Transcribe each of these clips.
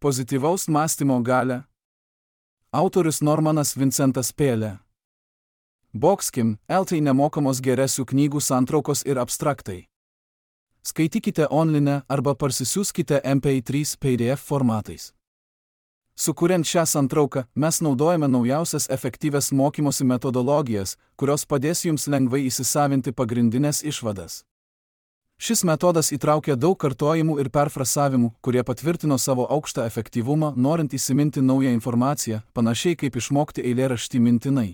Pozityvaus mąstymo galia. Autorius Normanas Vincentas Peale. Boxkim, LT nemokamos geresių knygų santraukos ir abstraktai. Skaitykite online arba parsisiųskite MP3 PDF formatais. Sukuriant šią santrauką, mes naudojame naujausias efektyvias mokymosi metodologijas, kurios padės jums lengvai įsisavinti pagrindinės išvadas. Šis metodas įtraukia daug kartojimų ir perfrasavimų, kurie patvirtino savo aukštą efektyvumą, norint įsiminti naują informaciją, panašiai kaip išmokti eilėraštį mintinai.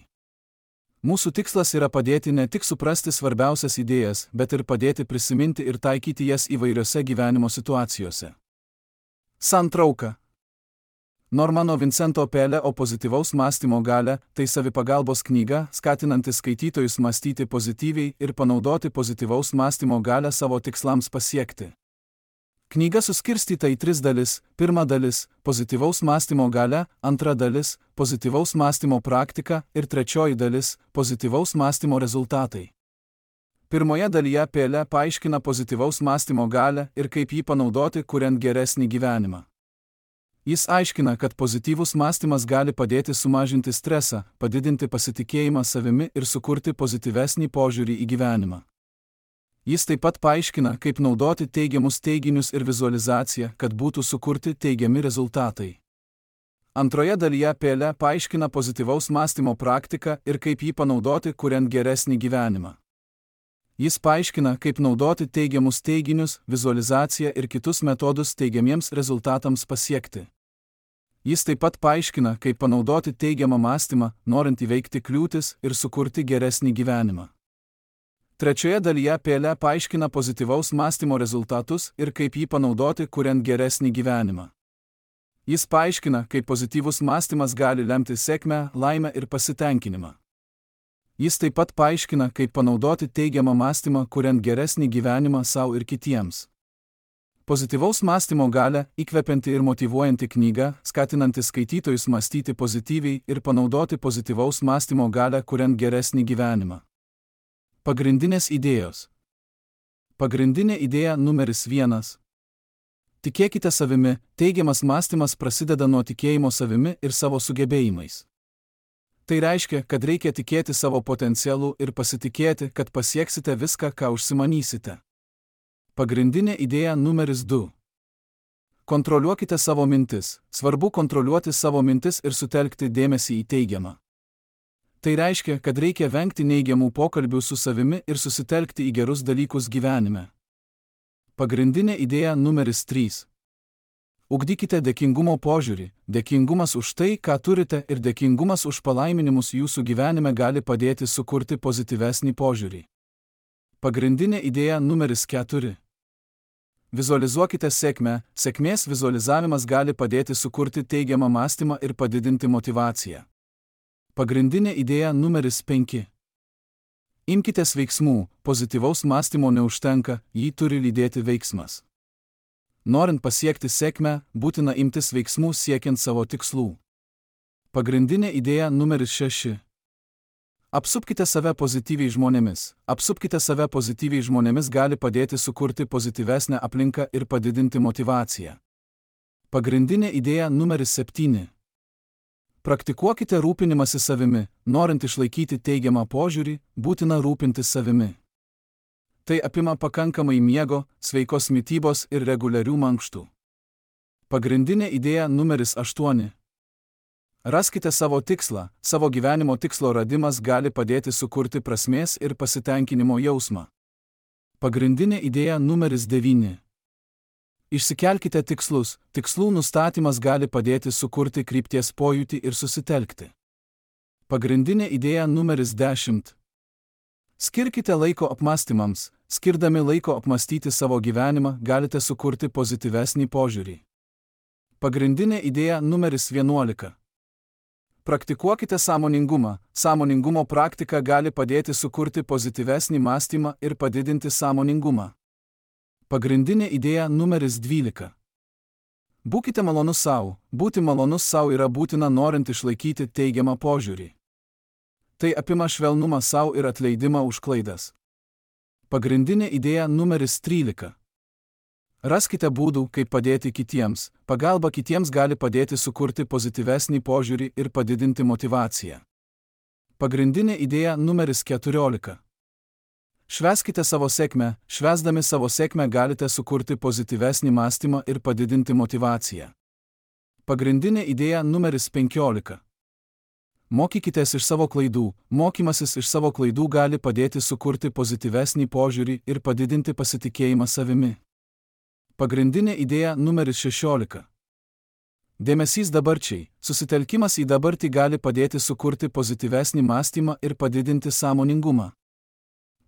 Mūsų tikslas yra padėti ne tik suprasti svarbiausias idėjas, bet ir padėti prisiminti ir taikyti jas įvairiose gyvenimo situacijose. Santrauka. Normano Vincento Peale O pozityvaus mąstymo galia – tai savipagalbos knyga, skatinanti skaitytojus mąstyti pozityviai ir panaudoti pozityvaus mąstymo galią savo tikslams pasiekti. Knyga suskirstyta į 3 dalis. Pirma dalis – pozityvaus mąstymo galia, antra dalis – pozityvaus mąstymo praktika ir trečioji dalis – pozityvaus mąstymo rezultatai. Pirmoje dalyje Peale paaiškina pozityvaus mąstymo galią ir kaip jį panaudoti, kuriant geresnį gyvenimą. Jis aiškina, kad pozityvus mąstymas gali padėti sumažinti stresą, padidinti pasitikėjimą savimi ir sukurti pozityvesnį požiūrį į gyvenimą. Jis taip pat paaiškina, kaip naudoti teigiamus teiginius ir vizualizaciją, kad būtų sukurti teigiami rezultatai. Antroje dalyje Peale paaiškina pozityvaus mąstymo praktiką ir kaip jį panaudoti, kuriant geresnį gyvenimą. Jis paaiškina, kaip naudoti teigiamus teiginius, vizualizaciją ir kitus metodus teigiamiems rezultatams pasiekti. Jis taip pat paaiškina, kaip panaudoti teigiamą mąstymą, norint įveikti kliūtis ir sukurti geresnį gyvenimą. Trečioje dalyje Peale paaiškina pozityvaus mąstymo rezultatus ir kaip jį panaudoti, kuriant geresnį gyvenimą. Jis paaiškina, kaip pozityvus mąstymas gali lemti sėkmę, laimę ir pasitenkinimą. Jis taip pat paaiškina, kaip panaudoti teigiamą mąstymą, kuriant geresnį gyvenimą savo ir kitiems. Pozityvaus mąstymo galia – įkvepianti ir motyvuojanti knyga, skatinanti skaitytojus mąstyti pozityviai ir panaudoti pozityvaus mąstymo galią, kuriant geresnį gyvenimą. Pagrindinės idėjos. Pagrindinė idėja numeris 1. Tikėkite savimi. Teigiamas mąstymas prasideda nuo tikėjimo savimi ir savo sugebėjimais. Tai reiškia, kad reikia tikėti savo potencialu ir pasitikėti, kad pasieksite viską, ką užsimanysite. Pagrindinė idėja numeris 2. Kontroliuokite savo mintis. Svarbu kontroliuoti savo mintis ir sutelkti dėmesį į teigiamą. Tai reiškia, kad reikia vengti neigiamų pokalbių su savimi ir susitelkti į gerus dalykus gyvenime. Pagrindinė idėja numeris 3. Ugdykite dėkingumo požiūrį. Dėkingumas už tai, ką turite, ir dėkingumas už palaiminimus jūsų gyvenime gali padėti sukurti pozityvesnį požiūrį. Pagrindinė idėja numeris 4. Vizualizuokite sėkmę. Sėkmės vizualizavimas gali padėti sukurti teigiamą mąstymą ir padidinti motyvaciją. Pagrindinė idėja numeris 5. Imkitės veiksmų. Pozityvaus mąstymo neužtenka, jį turi lydėti veiksmas. Norint pasiekti sėkmę, būtina imtis veiksmų siekiant savo tikslų. Pagrindinė idėja numeris 6. Apsupkite save pozityviai žmonėmis. Apsupkite save pozityviai žmonėmis gali padėti sukurti pozityvesnę aplinką ir padidinti motyvaciją. Pagrindinė idėja numeris 7. Praktikuokite rūpinimąsi savimi. Norint išlaikyti teigiamą požiūrį, būtina rūpintis savimi. Tai apima pakankamai miego, sveikos mitybos ir reguliarių mankštų. Pagrindinė idėja numeris 8. Raskite savo tikslą. Savo gyvenimo tikslo radimas gali padėti sukurti prasmės ir pasitenkinimo jausmą. Pagrindinė idėja numeris 9. Išsikelkite tikslus. Tikslų nustatymas gali padėti sukurti krypties pojūtį ir susitelkti. Pagrindinė idėja numeris 10. Skirkite laiko apmąstymams. Skirdami laiko apmąstyti savo gyvenimą, galite sukurti pozityvesnį požiūrį. Pagrindinė idėja numeris 11. Praktikuokite sąmoningumą. Sąmoningumo praktika gali padėti sukurti pozityvesnį mąstymą ir padidinti sąmoningumą. Pagrindinė idėja numeris 12. Būkite malonus savo. Būti malonus savo yra būtina norint išlaikyti teigiamą požiūrį. Tai apima švelnumą savo ir atleidimą už klaidas. Pagrindinė idėja numeris 13. Raskite būdų, kaip padėti kitiems. Pagalba kitiems gali padėti sukurti pozityvesnį požiūrį ir padidinti motyvaciją. Pagrindinė idėja numeris 14. Švęskite savo sėkmę. Švęsdami savo sėkmę galite sukurti pozityvesnį mąstymą ir padidinti motyvaciją. Pagrindinė idėja numeris 15. Mokykitės iš savo klaidų. Mokymasis iš savo klaidų gali padėti sukurti pozityvesnį požiūrį ir padidinti pasitikėjimą savimi. Pagrindinė idėja numeris 16. Dėmesys dabarčiai. Susitelkimas į dabartį gali padėti sukurti pozityvesnį mąstymą ir padidinti sąmoningumą.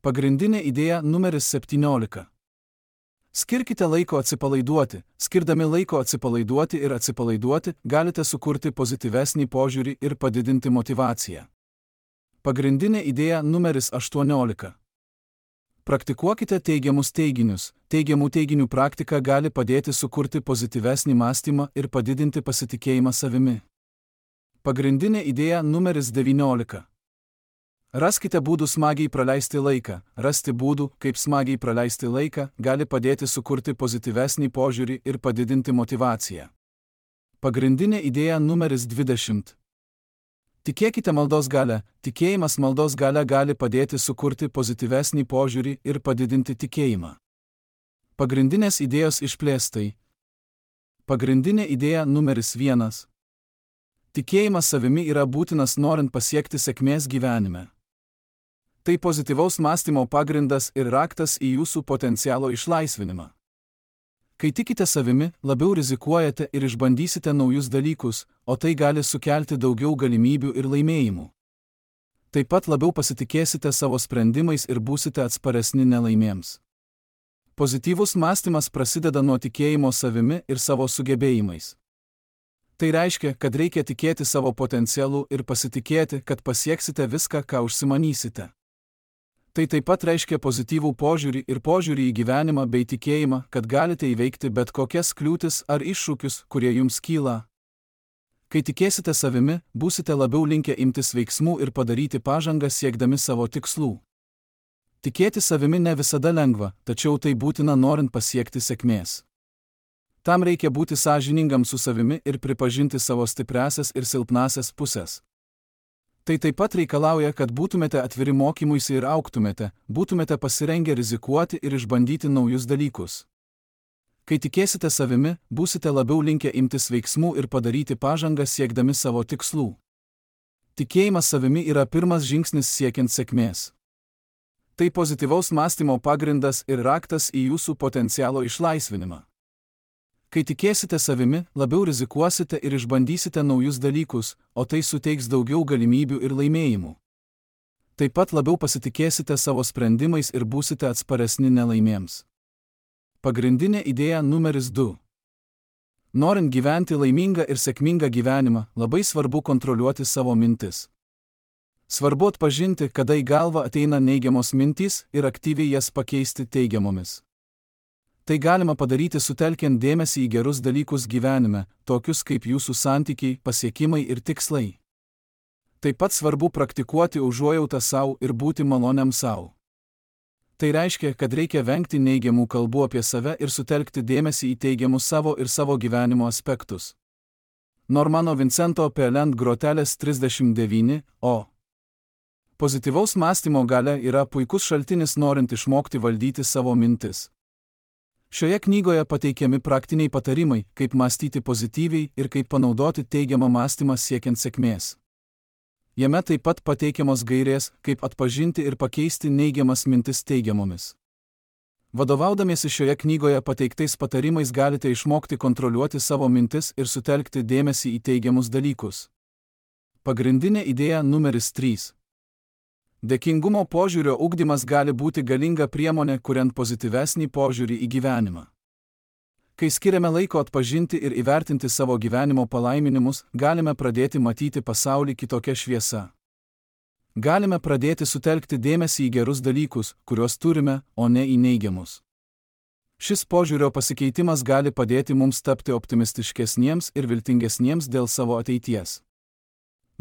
Pagrindinė idėja numeris 17. Skirkite laiko atsipalaiduoti. Skirdami laiko atsipalaiduoti ir atsipalaiduoti, galite sukurti pozityvesnį požiūrį ir padidinti motyvaciją. Pagrindinė idėja numeris 18. Praktikuokite teigiamus teiginius. Teigiamų teiginių praktika gali padėti sukurti pozityvesnį mąstymą ir padidinti pasitikėjimą savimi. Pagrindinė idėja numeris 19. Raskite būdų smagiai praleisti laiką. Rasti būdų, kaip smagiai praleisti laiką, gali padėti sukurti pozityvesnį požiūrį ir padidinti motyvaciją. Pagrindinė idėja numeris 20. Tikėkite maldos galia. Tikėjimas maldos galia gali padėti sukurti pozityvesnį požiūrį ir padidinti tikėjimą. Pagrindinės idėjos išplėstai. Pagrindinė idėja numeris 1. Tikėjimas savimi yra būtinas norint pasiekti sėkmės gyvenime. Tai pozityvaus mąstymo pagrindas ir raktas į jūsų potencialo išlaisvinimą. Kai tikite savimi, labiau rizikuojate ir išbandysite naujus dalykus, o tai gali sukelti daugiau galimybių ir laimėjimų. Taip pat labiau pasitikėsite savo sprendimais ir būsite atsparesni nelaimėms. Pozityvus mąstymas prasideda nuo tikėjimo savimi ir savo sugebėjimais. Tai reiškia, kad reikia tikėti savo potencialu ir pasitikėti, kad pasieksite viską, ką užsimanysite. Tai taip pat reiškia pozityvų požiūrį ir požiūrį į gyvenimą bei tikėjimą, kad galite įveikti bet kokias kliūtis ar iššūkius, kurie jums kyla. Kai tikėsite savimi, būsite labiau linkę imtis veiksmų ir padaryti pažangą siekdami savo tikslų. Tikėti savimi ne visada lengva, tačiau tai būtina norint pasiekti sėkmės. Tam reikia būti sąžiningam su savimi ir pripažinti savo stipriąsias ir silpnąsias pusės. Tai taip pat reikalauja, kad būtumėte atviri mokymuisi ir augtumėte, būtumėte pasirengę rizikuoti ir išbandyti naujus dalykus. Kai tikėsite savimi, būsite labiau linkę imtis veiksmų ir padaryti pažangą siekdami savo tikslų. Tikėjimas savimi yra pirmas žingsnis siekiant sėkmės. Tai pozityvaus mąstymo pagrindas ir raktas į jūsų potencialo išlaisvinimą. Kai tikėsite savimi, labiau rizikuosite ir išbandysite naujus dalykus, o tai suteiks daugiau galimybių ir laimėjimų. Taip pat labiau pasitikėsite savo sprendimais ir būsite atsparesni nelaimėms. Pagrindinė idėja numeris 2. Norint gyventi laimingą ir sėkmingą gyvenimą, labai svarbu kontroliuoti savo mintis. Svarbu atpažinti, kada į galvą ateina neigiamos mintys ir aktyviai jas pakeisti teigiamomis. Tai galima padaryti sutelkiant dėmesį į gerus dalykus gyvenime, tokius kaip jūsų santykiai, pasiekimai ir tikslai. Taip pat svarbu praktikuoti užuojautą savo ir būti maloniam savo. Tai reiškia, kad reikia vengti neigiamų kalbų apie save ir sutelkti dėmesį į teigiamus savo ir savo gyvenimo aspektus. Normano Vincento Peale Grotelės 39, o. Pozityvaus mąstymo galia yra puikus šaltinis norint išmokti valdyti savo mintis. Šioje knygoje pateikiami praktiniai patarimai, kaip mąstyti pozityviai ir kaip panaudoti teigiamą mąstymą siekiant sėkmės. Jame taip pat pateikiamos gairės, kaip atpažinti ir pakeisti neigiamas mintis teigiamomis. Vadovaudamiesi šioje knygoje pateiktais patarimais galite išmokti kontroliuoti savo mintis ir sutelkti dėmesį į teigiamus dalykus. Pagrindinė idėja numeris 3. Dėkingumo požiūrio ugdymas gali būti galinga priemonė, kuriant pozityvesnį požiūrį į gyvenimą. Kai skiriame laiko atpažinti ir įvertinti savo gyvenimo palaiminimus, galime pradėti matyti pasaulį kitokia šviesa. Galime pradėti sutelkti dėmesį į gerus dalykus, kuriuos turime, o ne į neigiamus. Šis požiūrio pasikeitimas gali padėti mums tapti optimistiškesniems ir viltingesniems dėl savo ateities.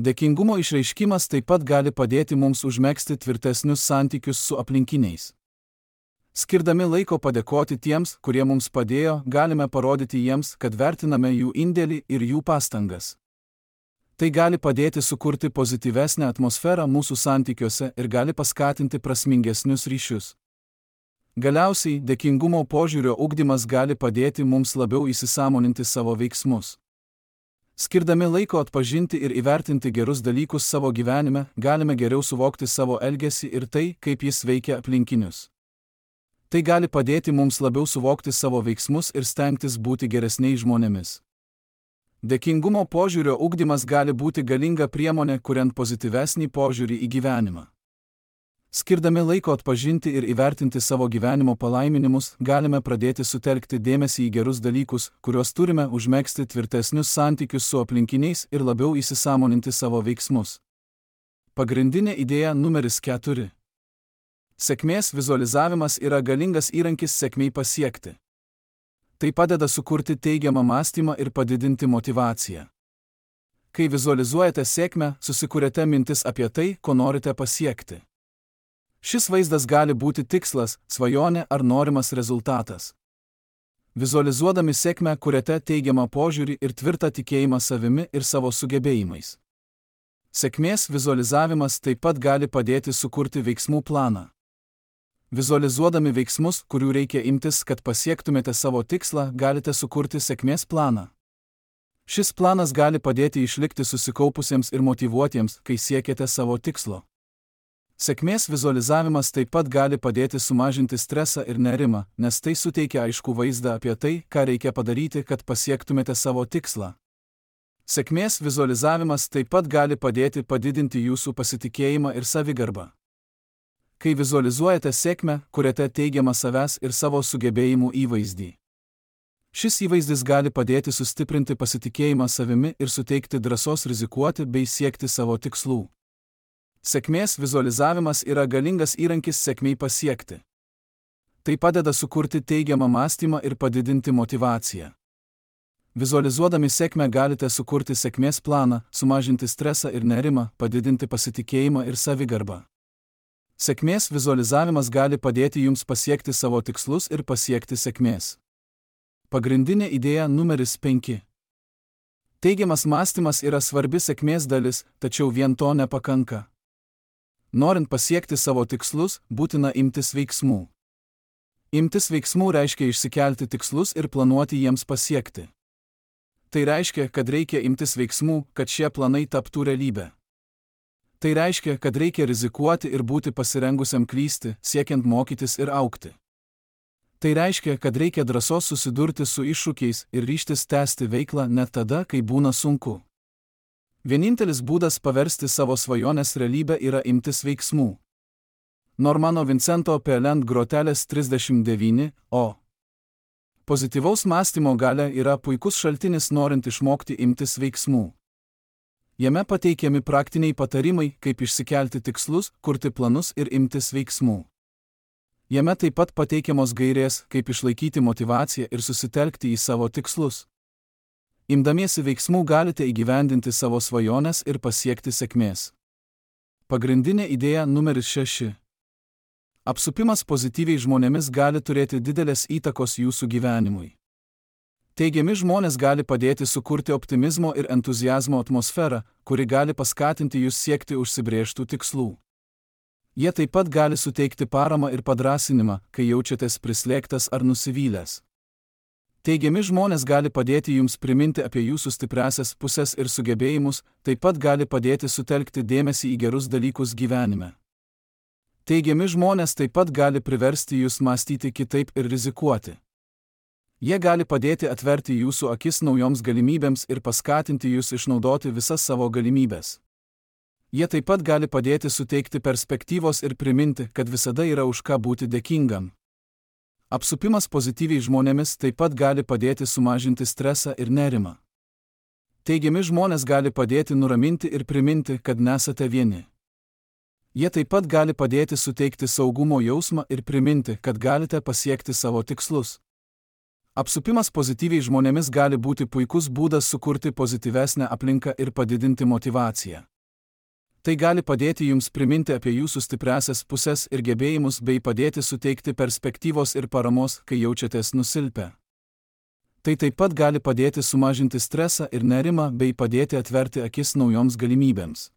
Dėkingumo išreiškimas taip pat gali padėti mums užmegzti tvirtesnius santykius su aplinkiniais. Skirdami laiko padėkoti tiems, kurie mums padėjo, galime parodyti jiems, kad vertiname jų indėlį ir jų pastangas. Tai gali padėti sukurti pozityvesnę atmosferą mūsų santykiuose ir gali paskatinti prasmingesnius ryšius. Galiausiai, dėkingumo požiūrio ugdymas gali padėti mums labiau įsisąmoninti savo veiksmus. Skirdami laiko atpažinti ir įvertinti gerus dalykus savo gyvenime, galime geriau suvokti savo elgesį ir tai, kaip jis veikia aplinkinius. Tai gali padėti mums labiau suvokti savo veiksmus ir stengtis būti geresniais žmonėmis. Dėkingumo požiūrio ugdymas gali būti galinga priemonė, kuriant pozityvesnį požiūrį į gyvenimą. Skirdami laiko atpažinti ir įvertinti savo gyvenimo palaiminimus, galime pradėti sutelkti dėmesį į gerus dalykus, kuriuos turime, užmegzti tvirtesnius santykius su aplinkiniais ir labiau įsisąmoninti savo veiksmus. Pagrindinė idėja numeris 4. Sėkmės vizualizavimas yra galingas įrankis sėkmei pasiekti. Tai padeda sukurti teigiamą mąstymą ir padidinti motyvaciją. Kai vizualizuojate sėkmę, susikuriate mintis apie tai, ko norite pasiekti. Šis vaizdas gali būti tikslas, svajonė ar norimas rezultatas. Vizualizuodami sėkmę kuriate teigiamą požiūrį ir tvirtą tikėjimą savimi ir savo sugebėjimais. Sėkmės vizualizavimas taip pat gali padėti sukurti veiksmų planą. Vizualizuodami veiksmus, kurių reikia imtis, kad pasiektumėte savo tikslą, galite sukurti sėkmės planą. Šis planas gali padėti išlikti susikaupusiems ir motyvuotiems, kai siekiate savo tikslo. Sėkmės vizualizavimas taip pat gali padėti sumažinti stresą ir nerimą, nes tai suteikia aiškų vaizdą apie tai, ką reikia padaryti, kad pasiektumėte savo tikslą. Sėkmės vizualizavimas taip pat gali padėti padidinti jūsų pasitikėjimą ir savigarbą. Kai vizualizuojate sėkmę, kuriate teigiamą savęs ir savo sugebėjimų įvaizdį. Šis įvaizdis gali padėti sustiprinti pasitikėjimą savimi ir suteikti drąsos rizikuoti bei siekti savo tikslų. Sėkmės vizualizavimas yra galingas įrankis sėkmei pasiekti. Tai padeda sukurti teigiamą mąstymą ir padidinti motyvaciją. Vizualizuodami sėkmę galite sukurti sėkmės planą, sumažinti stresą ir nerimą, padidinti pasitikėjimą ir savigarbą. Sėkmės vizualizavimas gali padėti jums pasiekti savo tikslus ir pasiekti sėkmės. Pagrindinė idėja numeris 5. Teigiamas mąstymas yra svarbi sėkmės dalis, tačiau vien to nepakanka. Norint pasiekti savo tikslus, būtina imtis veiksmų. Imtis veiksmų reiškia išsikelti tikslus ir planuoti jiems pasiekti. Tai reiškia, kad reikia imtis veiksmų, kad šie planai taptų realybę. Tai reiškia, kad reikia rizikuoti ir būti pasirengusiam klysti, siekiant mokytis ir augti. Tai reiškia, kad reikia drąsos susidurti su iššūkiais ir ryžtis tęsti veiklą net tada, kai būna sunku. Vienintelis būdas paversti savo svajonės realybę yra imtis veiksmų. Normano Vincento Peland grotelės 39, o. Pozityvaus mąstymo galia yra puikus šaltinis norint išmokti imtis veiksmų. Jame pateikiami praktiniai patarimai, kaip išsikelti tikslus, kurti planus ir imtis veiksmų. Jame taip pat pateikiamos gairės, kaip išlaikyti motyvaciją ir susitelkti į savo tikslus. Imdamiesi veiksmų galite įgyvendinti savo svajones ir pasiekti sėkmės. Pagrindinė idėja numeris 6. Apsupimas pozityviai žmonėmis gali turėti didelės įtakos jūsų gyvenimui. Teigiami žmonės gali padėti sukurti optimizmo ir entuziazmo atmosferą, kuri gali paskatinti jūs siekti užsibrėžtų tikslų. Jie taip pat gali suteikti paramą ir padrąsinimą, kai jaučiatės prislėgtas ar nusivylęs. Teigiami žmonės gali padėti jums priminti apie jūsų stipriąsias pusės ir sugebėjimus, taip pat gali padėti sutelkti dėmesį į gerus dalykus gyvenime. Teigiami žmonės taip pat gali priversti jūs mąstyti kitaip ir rizikuoti. Jie gali padėti atverti jūsų akis naujoms galimybėms ir paskatinti jūs išnaudoti visas savo galimybės. Jie taip pat gali padėti suteikti perspektyvos ir priminti, kad visada yra už ką būti dėkingam. Apsupimas pozityviai žmonėmis taip pat gali padėti sumažinti stresą ir nerimą. Teigiami žmonės gali padėti nuraminti ir priminti, kad nesate vieni. Jie taip pat gali padėti suteikti saugumo jausmą ir priminti, kad galite pasiekti savo tikslus. Apsupimas pozityviai žmonėmis gali būti puikus būdas sukurti pozityvesnę aplinką ir padidinti motyvaciją. Tai gali padėti jums priminti apie jūsų stipriąsias pusės ir gebėjimus bei padėti suteikti perspektyvos ir paramos, kai jaučiatės nusilpę. Tai taip pat gali padėti sumažinti stresą ir nerimą bei padėti atverti akis naujoms galimybėms.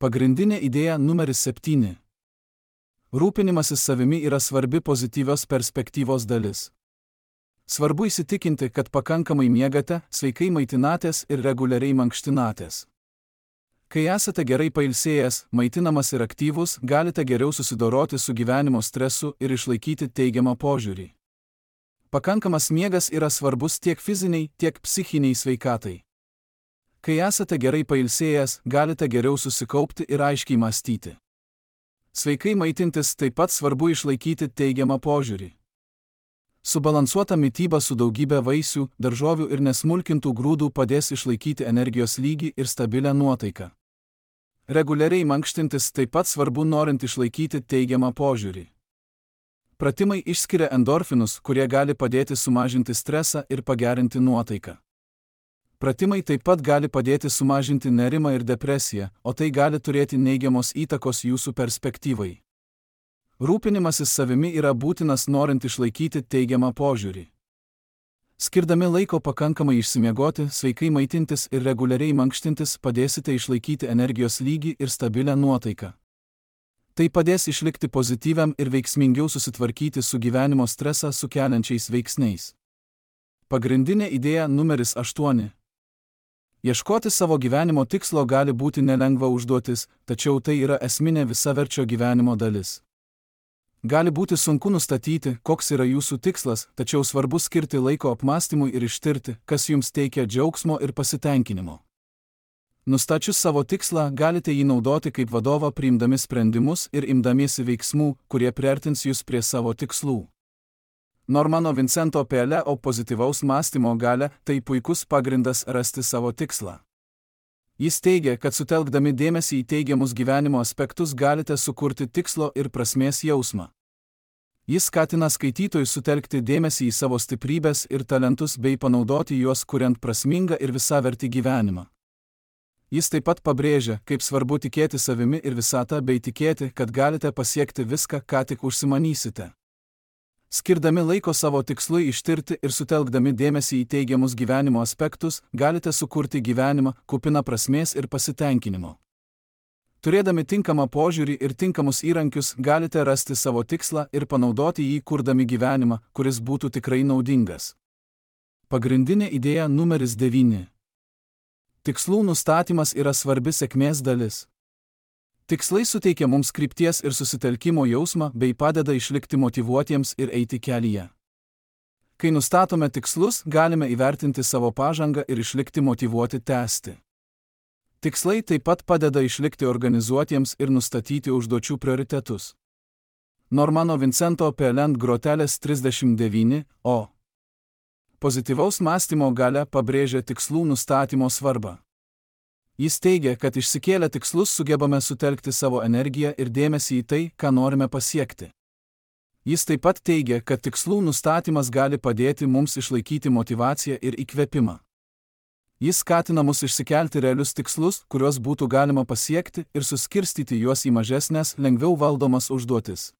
Pagrindinė idėja numeris 7. Rūpinimasis savimi yra svarbi pozityvios perspektyvos dalis. Svarbu įsitikinti, kad pakankamai miegate, sveikai maitinatės ir reguliariai mankštinatės. Kai esate gerai pailsėjęs, maitinamas ir aktyvus, galite geriau susidoroti su gyvenimo stresu ir išlaikyti teigiamą požiūrį. Pakankamas miegas yra svarbus tiek fiziniai, tiek psichiniai sveikatai. Kai esate gerai pailsėjęs, galite geriau susikaupti ir aiškiai mąstyti. Sveikai maitintis taip pat svarbu išlaikyti teigiamą požiūrį. Subalansuota mityba su daugybė vaisių, daržovių ir nesmulkintų grūdų padės išlaikyti energijos lygį ir stabilę nuotaiką. Reguliariai mankštintis taip pat svarbu norint išlaikyti teigiamą požiūrį. Pratimai išskiria endorfinus, kurie gali padėti sumažinti stresą ir pagerinti nuotaiką. Pratimai taip pat gali padėti sumažinti nerimą ir depresiją, o tai gali turėti neigiamos įtakos jūsų perspektyvai. Rūpinimasis savimi yra būtinas norint išlaikyti teigiamą požiūrį. Skirdami laiko pakankamai išsimiegoti, sveikai maitintis ir reguliariai mankštintis padėsite išlaikyti energijos lygį ir stabilę nuotaiką. Tai padės išlikti pozityviam ir veiksmingiau susitvarkyti su gyvenimo stresą sukeliančiais veiksniais. Pagrindinė idėja numeris 8. Ieškoti savo gyvenimo tikslo gali būti nelengva užduotis, tačiau tai yra esminė visaverčio gyvenimo dalis. Gali būti sunku nustatyti, koks yra jūsų tikslas, tačiau svarbu skirti laiko apmąstymui ir ištirti, kas jums teikia džiaugsmo ir pasitenkinimo. Nustačius savo tikslą, galite jį naudoti kaip vadovą priimdami sprendimus ir imdamiesi veiksmų, kurie priartins jūs prie savo tikslų. Normano Vincento Peale pozityvaus mąstymo galia – tai puikus pagrindas rasti savo tikslą. Jis teigia, kad sutelkdami dėmesį į teigiamus gyvenimo aspektus galite sukurti tikslo ir prasmės jausmą. Jis skatina skaitytojus sutelkti dėmesį į savo stiprybės ir talentus bei panaudoti juos kuriant prasmingą ir visavertį gyvenimą. Jis taip pat pabrėžia, kaip svarbu tikėti savimi ir visata bei tikėti, kad galite pasiekti viską, ką tik užsimanysite. Skirdami laiko savo tikslui ištirti ir sutelkdami dėmesį į teigiamus gyvenimo aspektus, galite sukurti gyvenimą, kupiną prasmės ir pasitenkinimo. Turėdami tinkamą požiūrį ir tinkamus įrankius, galite rasti savo tikslą ir panaudoti jį kurdami gyvenimą, kuris būtų tikrai naudingas. Pagrindinė idėja numeris 9. Tikslų nustatymas yra svarbi sėkmės dalis. Tikslai suteikia mums krypties ir susitelkimo jausmą bei padeda išlikti motyvuotiems ir eiti kelyje. Kai nustatome tikslus, galime įvertinti savo pažangą ir išlikti motyvuoti tęsti. Tikslai taip pat padeda išlikti organizuotiems ir nustatyti užduočių prioritetus. Normano Vincento Peale grotelės 39, o. Pozityvaus mąstymo galia pabrėžia tikslų nustatymo svarbą. Jis teigia, kad išsikėlę tikslus sugebame sutelkti savo energiją ir dėmesį į tai, ką norime pasiekti. Jis taip pat teigia, kad tikslų nustatymas gali padėti mums išlaikyti motyvaciją ir įkvėpimą. Jis skatina mus išsikelti realius tikslus, kuriuos būtų galima pasiekti ir suskirstyti juos į mažesnės, lengviau valdomas užduotis.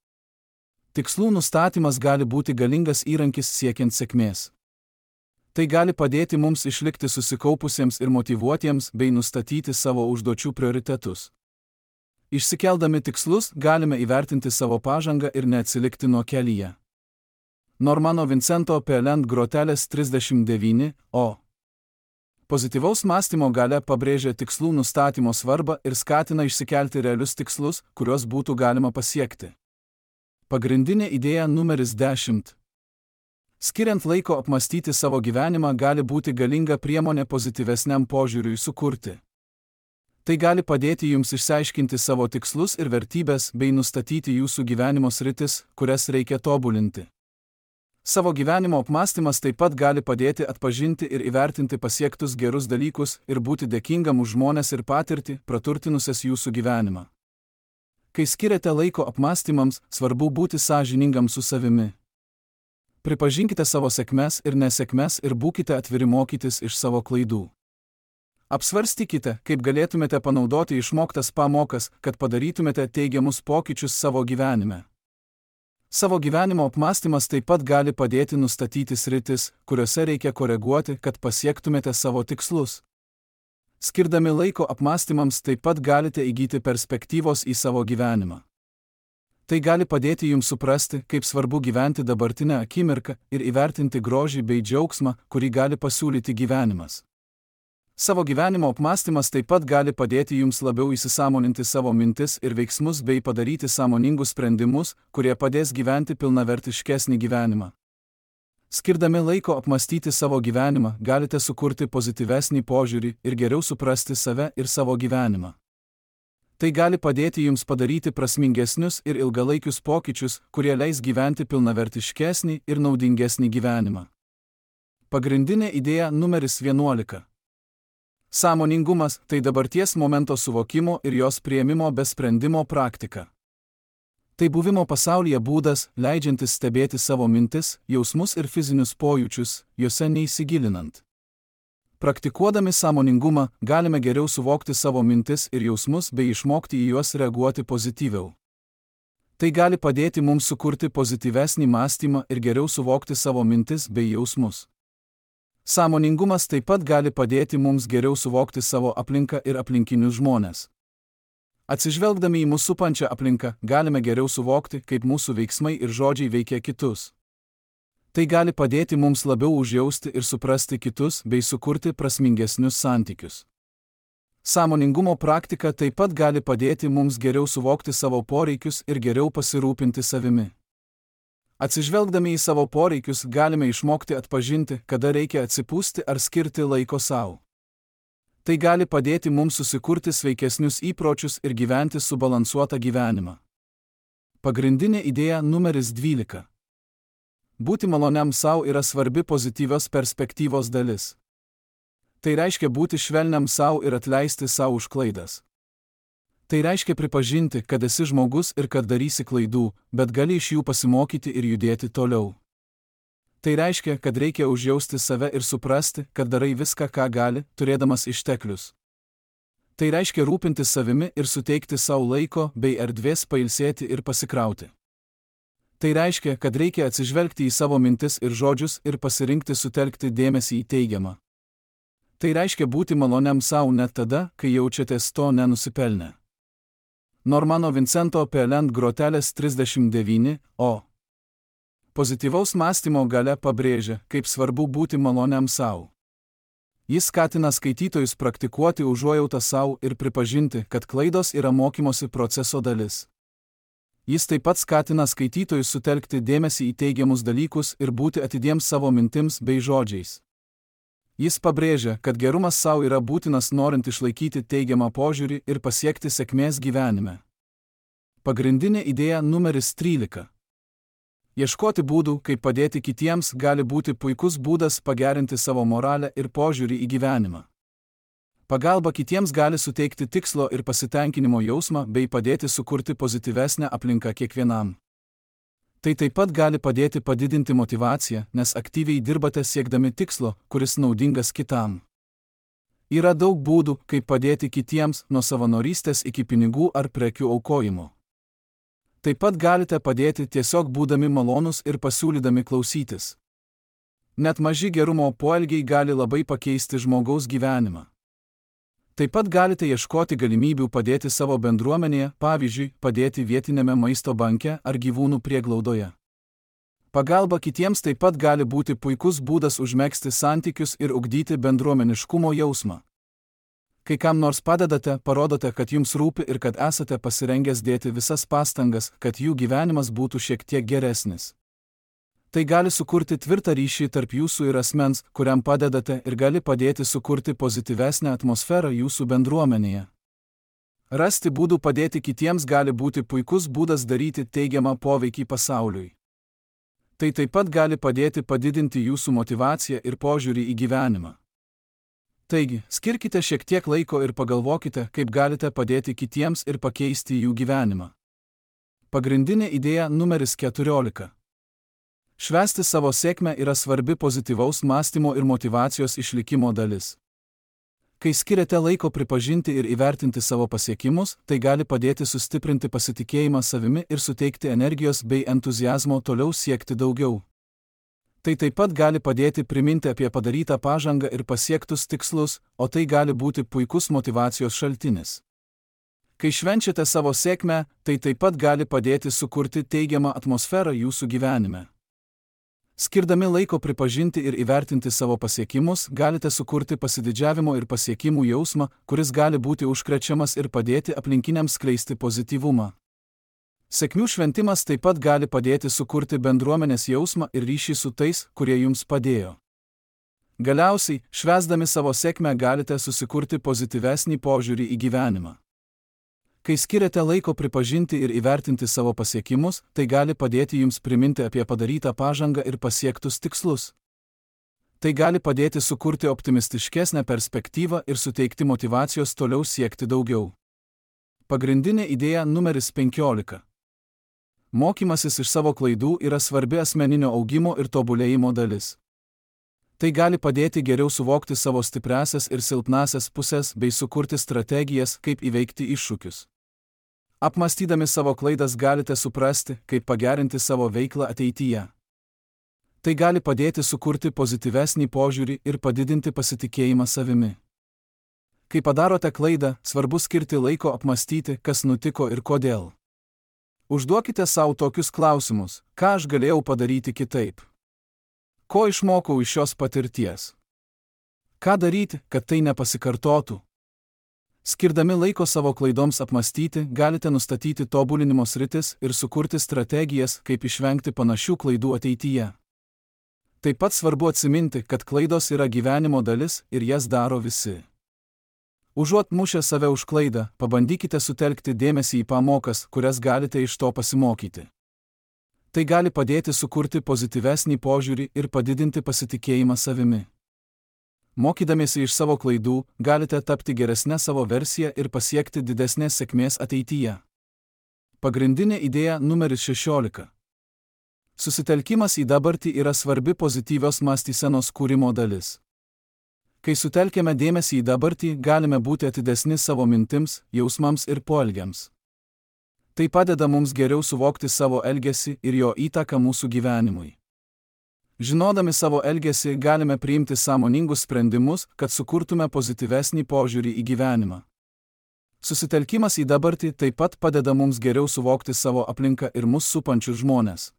Tikslų nustatymas gali būti galingas įrankis siekiant sėkmės. Tai gali padėti mums išlikti susikaupusiems ir motyvuotiems bei nustatyti savo užduočių prioritetus. Išsikeldami tikslus, galime įvertinti savo pažangą ir neatsilikti nuo kelyje. Normano Vincento Peale grotelės 39, o. Pozityvaus mąstymo galia pabrėžia tikslų nustatymo svarbą ir skatina išsikelti realius tikslus, kuriuos būtų galima pasiekti. Pagrindinė idėja numeris 10. Skiriant laiko apmąstyti savo gyvenimą gali būti galinga priemonė pozityvesniam požiūriui sukurti. Tai gali padėti jums išsiaiškinti savo tikslus ir vertybės bei nustatyti jūsų gyvenimo sritis, kurias reikia tobulinti. Savo gyvenimo apmąstymas taip pat gali padėti atpažinti ir įvertinti pasiektus gerus dalykus ir būti dėkingam už žmones ir patirtį, praturtinusias jūsų gyvenimą. Kai skiriate laiko apmąstymams, svarbu būti sąžiningam su savimi. Pripažinkite savo sėkmes ir nesėkmes ir būkite atviri mokytis iš savo klaidų. Apsvarstykite, kaip galėtumėte panaudoti išmoktas pamokas, kad padarytumėte teigiamus pokyčius savo gyvenime. Savo gyvenimo apmąstymas taip pat gali padėti nustatyti sritis, kuriuose reikia koreguoti, kad pasiektumėte savo tikslus. Skirdami laiko apmąstymams taip pat galite įgyti perspektyvos į savo gyvenimą. Tai gali padėti jums suprasti, kaip svarbu gyventi dabartinę akimirką ir įvertinti grožį bei džiaugsmą, kurį gali pasiūlyti gyvenimas. Savo gyvenimo apmąstymas taip pat gali padėti jums labiau įsisąmoninti savo mintis ir veiksmus bei padaryti sąmoningus sprendimus, kurie padės gyventi pilnavertiškesnį gyvenimą. Skirdami laiko apmąstyti savo gyvenimą, galite sukurti pozityvesnį požiūrį ir geriau suprasti save ir savo gyvenimą. Tai gali padėti jums padaryti prasmingesnius ir ilgalaikius pokyčius, kurie leis gyventi pilnavertiškesnį ir naudingesnį gyvenimą. Pagrindinė idėja numeris 11. Sąmoningumas – tai dabarties momento suvokimo ir jos priėmimo be sprendimo praktika. Tai buvimo pasaulyje būdas, leidžiantis stebėti savo mintis, jausmus ir fizinius pojūčius, juose neįsigilinant. Praktikuodami sąmoningumą, galime geriau suvokti savo mintis ir jausmus bei išmokti į juos reaguoti pozityviau. Tai gali padėti mums sukurti pozityvesnį mąstymą ir geriau suvokti savo mintis bei jausmus. Sąmoningumas taip pat gali padėti mums geriau suvokti savo aplinką ir aplinkinius žmones. Atsižvelgdami į mūsų supančią aplinką, galime geriau suvokti, kaip mūsų veiksmai ir žodžiai veikia kitus. Tai gali padėti mums labiau užjausti ir suprasti kitus bei sukurti prasmingesnius santykius. Sąmoningumo praktika taip pat gali padėti mums geriau suvokti savo poreikius ir geriau pasirūpinti savimi. Atsižvelgdami į savo poreikius, galime išmokti atpažinti, kada reikia atsipūsti ar skirti laiko sau. Tai gali padėti mums susikurti sveikesnius įpročius ir gyventi subalansuotą gyvenimą. Pagrindinė idėja numeris 12. Būti maloniam sau yra svarbi pozityvios perspektyvos dalis. Tai reiškia būti švelniam sau ir atleisti sau už klaidas. Tai reiškia pripažinti, kad esi žmogus ir kad darysi klaidų, bet gali iš jų pasimokyti ir judėti toliau. Tai reiškia, kad reikia užjausti save ir suprasti, kad darai viską, ką gali, turėdamas išteklius. Tai reiškia rūpintis savimi ir suteikti sau laiko bei erdvės pailsėti ir pasikrauti. Tai reiškia, kad reikia atsižvelgti į savo mintis ir žodžius ir pasirinkti sutelkti dėmesį į teigiamą. Tai reiškia būti maloniam sau net tada, kai jaučiatės to nenusipelnę. Normano Vincento Pelent grotelės 39, o. Pozityvaus mąstymo galia pabrėžia, kaip svarbu būti maloniam sau. Jis skatina skaitytojus praktikuoti užuojautą sau ir pripažinti, kad klaidos yra mokymosi proceso dalis. Jis taip pat skatina skaitytojus sutelkti dėmesį į teigiamus dalykus ir būti atidiems savo mintims bei žodžiais. Jis pabrėžia, kad gerumas sau yra būtinas norint išlaikyti teigiamą požiūrį ir pasiekti sėkmės gyvenime. Pagrindinė idėja numeris 13. Ieškoti būdų, kaip padėti kitiems, gali būti puikus būdas pagerinti savo moralę ir požiūrį į gyvenimą. Pagalba kitiems gali suteikti tikslo ir pasitenkinimo jausmą bei padėti sukurti pozityvesnę aplinką kiekvienam. Tai taip pat gali padėti padidinti motyvaciją, nes aktyviai dirbate siekdami tikslo, kuris naudingas kitam. Yra daug būdų, kaip padėti kitiems, nuo savanorystės iki pinigų ar prekių aukojimo. Taip pat galite padėti tiesiog būdami malonūs ir pasiūlydami klausytis. Net maži gerumo poelgiai gali labai pakeisti žmogaus gyvenimą. Taip pat galite ieškoti galimybių padėti savo bendruomenėje, pavyzdžiui, padėti vietinėme maisto banke ar gyvūnų prieglaudoje. Pagalba kitiems taip pat gali būti puikus būdas užmegzti santykius ir ugdyti bendruomeniškumo jausmą. Kai kam nors padedate, parodote, kad jums rūpi ir kad esate pasirengęs dėti visas pastangas, kad jų gyvenimas būtų šiek tiek geresnis. Tai gali sukurti tvirtą ryšį tarp jūsų ir asmens, kuriam padedate, ir gali padėti sukurti pozityvesnę atmosferą jūsų bendruomenėje. Rasti būdų padėti kitiems gali būti puikus būdas daryti teigiamą poveikį pasauliui. Tai taip pat gali padėti padidinti jūsų motyvaciją ir požiūrį į gyvenimą. Taigi, skirkite šiek tiek laiko ir pagalvokite, kaip galite padėti kitiems ir pakeisti jų gyvenimą. Pagrindinė idėja numeris 14. Švęsti savo sėkmę yra svarbi pozityvaus mąstymo ir motyvacijos išlikimo dalis. Kai skiriate laiko pripažinti ir įvertinti savo pasiekimus, tai gali padėti sustiprinti pasitikėjimą savimi ir suteikti energijos bei entuziazmo toliau siekti daugiau. Tai taip pat gali padėti priminti apie padarytą pažangą ir pasiektus tikslus, o tai gali būti puikus motyvacijos šaltinis. Kai švenčiate savo sėkmę, tai taip pat gali padėti sukurti teigiamą atmosferą jūsų gyvenime. Skirdami laiko pripažinti ir įvertinti savo pasiekimus, galite sukurti pasididžiavimo ir pasiekimų jausmą, kuris gali būti užkrečiamas ir padėti aplinkiniams skleisti pozityvumą. Sėkmių šventimas taip pat gali padėti sukurti bendruomenės jausmą ir ryšį su tais, kurie jums padėjo. Galiausiai, švęsdami savo sėkmę galite susikurti pozityvesnį požiūrį į gyvenimą. Kai skiriate laiko pripažinti ir įvertinti savo pasiekimus, tai gali padėti jums priminti apie padarytą pažangą ir pasiektus tikslus. Tai gali padėti sukurti optimistiškesnę perspektyvą ir suteikti motyvacijos toliau siekti daugiau. Pagrindinė idėja numeris 15. Mokymasis iš savo klaidų yra svarbi asmeninio augimo ir tobulėjimo dalis. Tai gali padėti geriau suvokti savo stipriąsias ir silpnąsias pusės bei sukurti strategijas, kaip įveikti iššūkius. Apmąstydami savo klaidas galite suprasti, kaip pagerinti savo veiklą ateityje. Tai gali padėti sukurti pozityvesnį požiūrį ir padidinti pasitikėjimą savimi. Kai padarote klaidą, svarbu skirti laiko apmąstyti, kas nutiko ir kodėl. Užduokite savo tokius klausimus: ką aš galėjau padaryti kitaip? Ko išmokau iš šios patirties? Ką daryti, kad tai nepasikartotų? Skirdami laiko savo klaidoms apmąstyti, galite nustatyti tobulinimo sritis ir sukurti strategijas, kaip išvengti panašių klaidų ateityje. Taip pat svarbu atsiminti, kad klaidos yra gyvenimo dalis ir jas daro visi. Užuot mušę save už klaidą, pabandykite sutelkti dėmesį į pamokas, kurias galite iš to pasimokyti. Tai gali padėti sukurti pozityvesnį požiūrį ir padidinti pasitikėjimą savimi. Mokydamiesi iš savo klaidų, galite tapti geresnę savo versiją ir pasiekti didesnės sėkmės ateityje. Pagrindinė idėja numeris 16. Susitelkimas į dabartį yra svarbi pozityvios mąstysenos kūrimo dalis. Kai sutelkiame dėmesį į dabartį, galime būti atidesni savo mintims, jausmams ir poelgiams. Tai padeda mums geriau suvokti savo elgesį ir jo įtaką mūsų gyvenimui. Žinodami savo elgesį galime priimti sąmoningus sprendimus, kad sukurtume pozityvesnį požiūrį į gyvenimą. Susitelkimas į dabartį taip pat padeda mums geriau suvokti savo aplinką ir mus supančius žmones.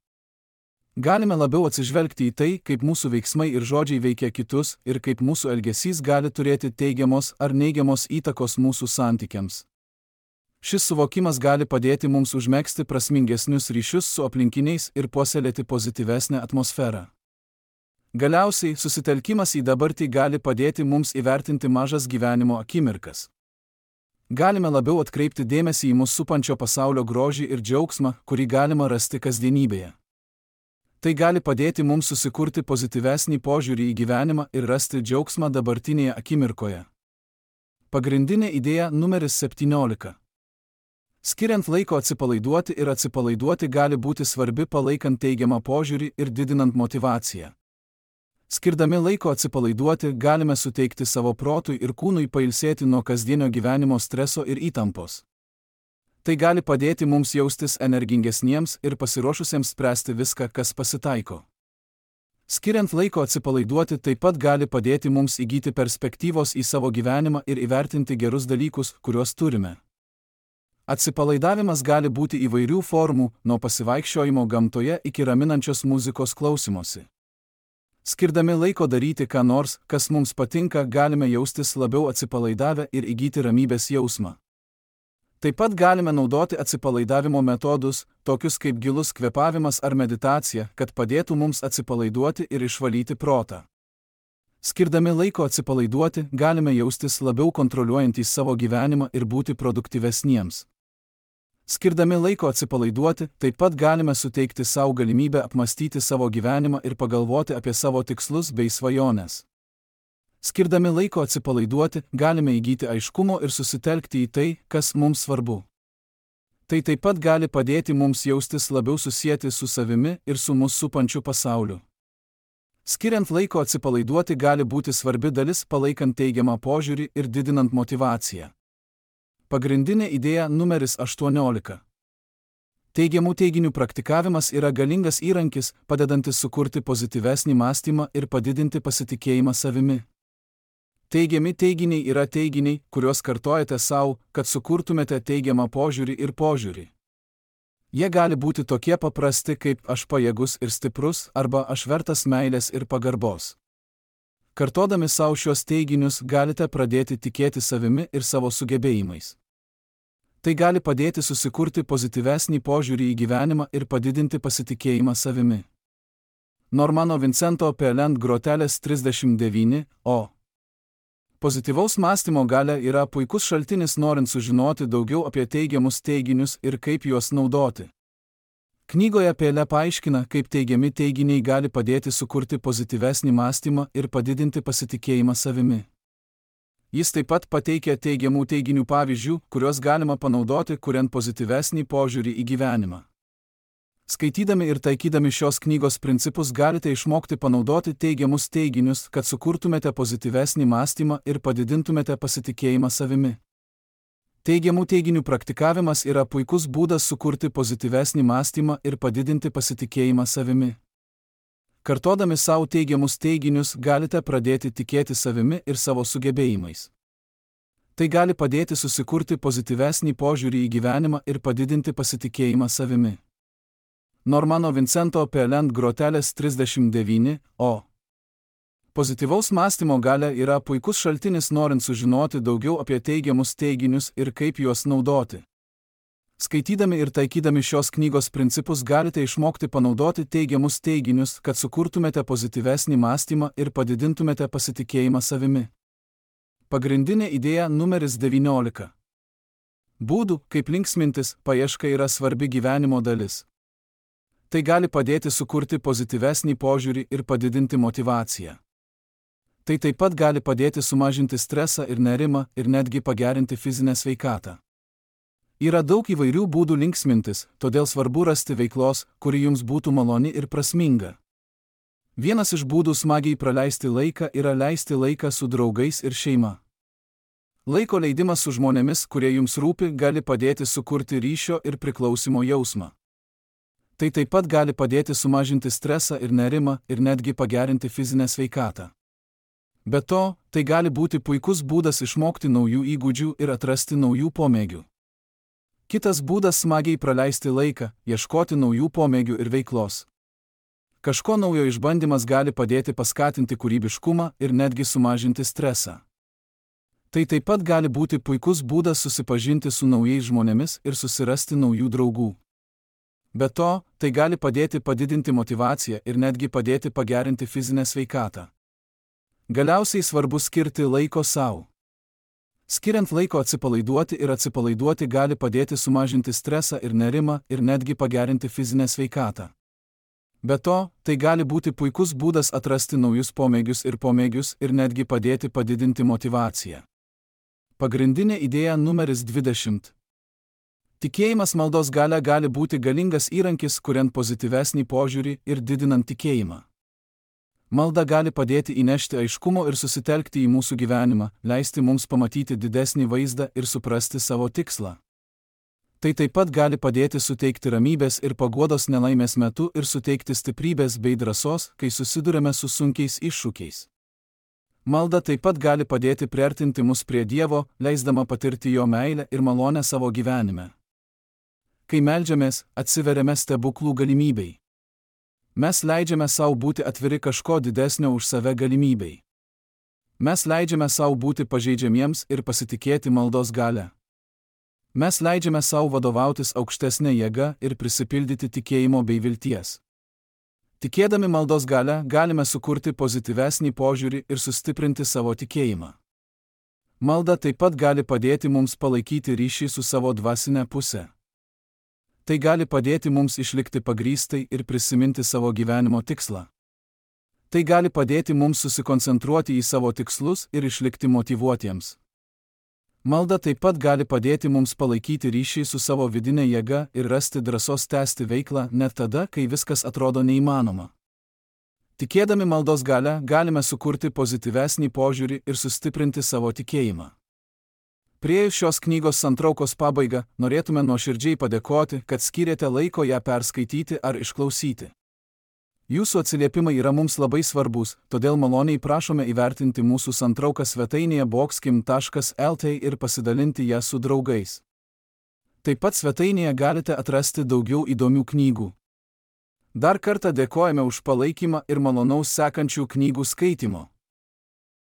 Galime labiau atsižvelgti į tai, kaip mūsų veiksmai ir žodžiai veikia kitus ir kaip mūsų elgesys gali turėti teigiamos ar neigiamos įtakos mūsų santykiams. Šis suvokimas gali padėti mums užmegzti prasmingesnius ryšius su aplinkiniais ir puoselėti pozityvesnę atmosferą. Galiausiai, susitelkimas į dabartį gali padėti mums įvertinti mažas gyvenimo akimirkas. Galime labiau atkreipti dėmesį į mus supančio pasaulio grožį ir džiaugsmą, kurį galima rasti kasdienybėje. Tai gali padėti mums susikurti pozityvesnį požiūrį į gyvenimą ir rasti džiaugsmą dabartinėje akimirkoje. Pagrindinė idėja numeris 17. Skiriant laiko atsipalaiduoti ir atsipalaiduoti gali būti svarbi palaikant teigiamą požiūrį ir didinant motyvaciją. Skirdami laiko atsipalaiduoti, galime suteikti savo protui ir kūnui pailsėti nuo kasdienio gyvenimo streso ir įtampos. Tai gali padėti mums jaustis energingesniems ir pasiruošusiems spręsti viską, kas pasitaiko. Skiriant laiko atsipalaiduoti taip pat gali padėti mums įgyti perspektyvos į savo gyvenimą ir įvertinti gerus dalykus, kuriuos turime. Atsipalaidavimas gali būti įvairių formų, nuo pasivaikščiojimo gamtoje iki raminančios muzikos klausymosi. Skirdami laiko daryti ką nors, kas mums patinka, galime jaustis labiau atsipalaidavę ir įgyti ramybės jausmą. Taip pat galime naudoti atsipalaidavimo metodus, tokius kaip gilus kvėpavimas ar meditacija, kad padėtų mums atsipalaiduoti ir išvalyti protą. Skirdami laiko atsipalaiduoti, galime jaustis labiau kontroliuojantys savo gyvenimą ir būti produktyvesniems. Skirdami laiko atsipalaiduoti, taip pat galime suteikti savo galimybę apmąstyti savo gyvenimą ir pagalvoti apie savo tikslus bei svajones. Skirdami laiko atsipalaiduoti, galime įgyti aiškumo ir susitelkti į tai, kas mums svarbu. Tai taip pat gali padėti mums jaustis labiau susieti su savimi ir su mus supančiu pasauliu. Skiriant laiko atsipalaiduoti gali būti svarbi dalis palaikant teigiamą požiūrį ir didinant motyvaciją. Pagrindinė idėja numeris 18. Teigiamų teiginių praktikavimas yra galingas įrankis, padedantis sukurti pozityvesnį mąstymą ir padidinti pasitikėjimą savimi. Teigiami teiginiai yra teiginiai, kuriuos kartojate savo, kad sukurtumėte teigiamą požiūrį ir požiūrį. Jie gali būti tokie paprasti kaip aš pajėgus ir stiprus arba aš vertas meilės ir pagarbos. Kartodami savo šios teiginius galite pradėti tikėti savimi ir savo sugebėjimais. Tai gali padėti susikurti pozityvesnį požiūrį į gyvenimą ir padidinti pasitikėjimą savimi. Normano Vincento Peale grotelės 39, o. Pozityvaus mąstymo galia yra puikus šaltinis norint sužinoti daugiau apie teigiamus teiginius ir kaip juos naudoti. Knygoje Peale paaiškina, kaip teigiami teiginiai gali padėti sukurti pozityvesnį mąstymą ir padidinti pasitikėjimą savimi. Jis taip pat pateikia teigiamų teiginių pavyzdžių, kuriuos galima panaudoti, kuriant pozityvesnį požiūrį į gyvenimą. Skaitydami ir taikydami šios knygos principus galite išmokti panaudoti teigiamus teiginius, kad sukurtumėte pozityvesnį mąstymą ir padidintumėte pasitikėjimą savimi. Teigiamų teiginių praktikavimas yra puikus būdas sukurti pozityvesnį mąstymą ir padidinti pasitikėjimą savimi. Kartodami savo teigiamus teiginius galite pradėti tikėti savimi ir savo sugebėjimais. Tai gali padėti susikurti pozityvesnį požiūrį į gyvenimą ir padidinti pasitikėjimą savimi. Normano Vincento Peale grotelės 39, o. Pozityvaus mąstymo galia yra puikus šaltinis norint sužinoti daugiau apie teigiamus teiginius ir kaip juos naudoti. Skaitydami ir taikydami šios knygos principus galite išmokti panaudoti teigiamus teiginius, kad sukurtumėte pozityvesnį mąstymą ir padidintumėte pasitikėjimą savimi. Pagrindinė idėja numeris 19. Būdų, kaip linksmintis, paieška yra svarbi gyvenimo dalis. Tai gali padėti sukurti pozityvesnį požiūrį ir padidinti motyvaciją. Tai taip pat gali padėti sumažinti stresą ir nerimą ir netgi pagerinti fizinę sveikatą. Yra daug įvairių būdų linksmintis, todėl svarbu rasti veiklos, kuri jums būtų maloni ir prasminga. Vienas iš būdų smagiai praleisti laiką yra leisti laiką su draugais ir šeima. Laiko leidimas su žmonėmis, kurie jums rūpi, gali padėti sukurti ryšio ir priklausimo jausmą. Tai taip pat gali padėti sumažinti stresą ir nerimą ir netgi pagerinti fizinę sveikatą. Be to, tai gali būti puikus būdas išmokti naujų įgūdžių ir atrasti naujų pomėgių. Kitas būdas smagiai praleisti laiką, ieškoti naujų pomėgių ir veiklos. Kažko naujo išbandymas gali padėti paskatinti kūrybiškumą ir netgi sumažinti stresą. Tai taip pat gali būti puikus būdas susipažinti su naujais žmonėmis ir susirasti naujų draugų. Be to, tai gali padėti padidinti motyvaciją ir netgi padėti pagerinti fizinę sveikatą. Galiausiai svarbu skirti laiko sau. Skiriant laiko atsipalaiduoti gali padėti sumažinti stresą ir nerimą ir netgi pagerinti fizinę sveikatą. Be to, tai gali būti puikus būdas atrasti naujus pomėgius ir netgi padėti padidinti motyvaciją. Pagrindinė idėja numeris 20. Tikėjimas maldos galia gali būti galingas įrankis, kuriant pozityvesnį požiūrį ir didinant tikėjimą. Malda gali padėti įnešti aiškumo ir susitelkti į mūsų gyvenimą, leisti mums pamatyti didesnį vaizdą ir suprasti savo tikslą. Tai taip pat gali padėti suteikti ramybės ir paguodos nelaimės metu ir suteikti stiprybės bei drąsos, kai susiduriame su sunkiais iššūkiais. Malda taip pat gali padėti priartinti mus prie Dievo, leisdama patirti jo meilę ir malonę savo gyvenime. Kai meldžiamės, atsiveriame stebuklų galimybei. Mes leidžiame savo būti atviri kažko didesnio už save galimybei. Mes leidžiame savo būti pažeidžiamiems ir pasitikėti maldos galia. Mes leidžiame savo vadovautis aukštesnė jėga ir prisipildyti tikėjimo bei vilties. Tikėdami maldos galia, galime sukurti pozityvesnį požiūrį ir sustiprinti savo tikėjimą. Malda taip pat gali padėti mums palaikyti ryšį su savo dvasinė pusė. Tai gali padėti mums išlikti pagrįstai ir prisiminti savo gyvenimo tikslą. Tai gali padėti mums susikoncentruoti į savo tikslus ir išlikti motyvuotiems. Malda taip pat gali padėti mums palaikyti ryšį su savo vidinė jėga ir rasti drąsos tęsti veiklą net tada, kai viskas atrodo neįmanoma. Tikėdami maldos galia, galime sukurti pozityvesnį požiūrį ir sustiprinti savo tikėjimą. Priėjus šios knygos santraukos pabaigą, norėtume nuoširdžiai padėkoti, kad skyrėte laiko ją perskaityti ar išklausyti. Jūsų atsiliepimai yra mums labai svarbus, todėl maloniai prašome įvertinti mūsų santrauką svetainėje boxkim.lt ir pasidalinti ją su draugais. Taip pat svetainėje galite atrasti daugiau įdomių knygų. Dar kartą dėkojame už palaikymą ir malonaus sekančių knygų skaitymo.